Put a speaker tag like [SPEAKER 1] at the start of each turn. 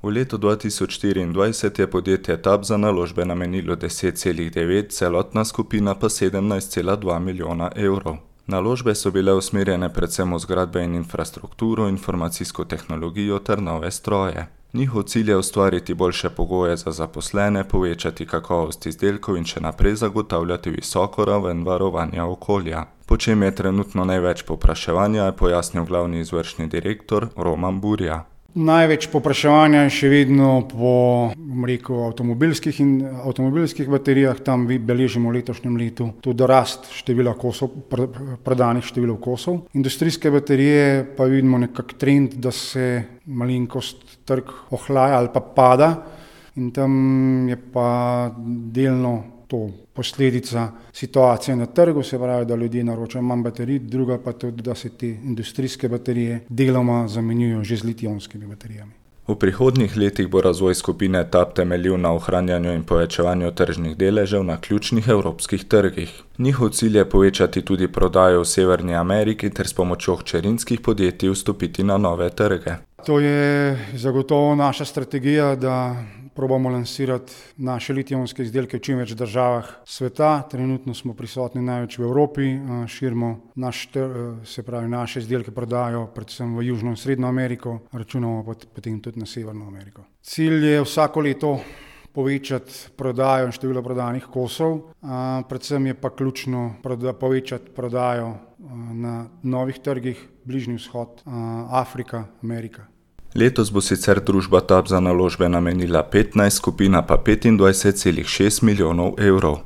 [SPEAKER 1] V letu 2024 je podjetje TAB za naložbe namenilo 10,9, celotna skupina pa 17,2 milijona evrov. Naložbe so bile usmerjene predvsem v zgradbe in infrastrukturo, informacijsko tehnologijo ter nove stroje. Njihov cilj je ustvariti boljše pogoje za zaposlene, povečati kakovost izdelkov in še naprej zagotavljati visoko raven varovanja okolja. Po čem je trenutno največ povpraševanja, je pojasnil glavni izvršni direktor Roman Burja.
[SPEAKER 2] Največ povpraševanja je še vedno po avtomobilskih baterijah, tam beležimo v letošnjem letu tudi rast števila kosov, prodanih števil kosov. Industrijske baterije pa vidimo nekak trend, da se malenkost trg ohlaja ali pa pada in tam je pa delno to posledica situacije na trgu, se pravi, da ljudje naročajo manj baterij, druga pa tudi, da se te industrijske baterije deloma zamenjujejo že z litij-ionskimi baterijami.
[SPEAKER 1] V prihodnjih letih bo razvoj skupine TAB temeljil na ohranjanju in povečevanju tržnih deležev na ključnih evropskih trgih. Njihov cilj je povečati tudi prodajo v Severni Ameriki ter s pomočjo hčerinskih podjetij vstopiti na nove trge.
[SPEAKER 2] To je zagotovo naša strategija, da probamo lansirati naše litij-ionske izdelke v čim več državah sveta. Trenutno smo prisotni največ v Evropi, širimo naše izdelke prodajo predvsem v Južno in Srednjo Ameriko, računamo potem tudi na Severno Ameriko. Cilj je vsako leto povečati prodajo in število prodanih kosov, predvsem je pa ključno povečati prodajo na novih trgih, Bližnji vzhod, Afrika, Amerika.
[SPEAKER 1] Letos bo sicer družba TAB za naložbe namenila 15, skupina pa 25,6 milijonov evrov.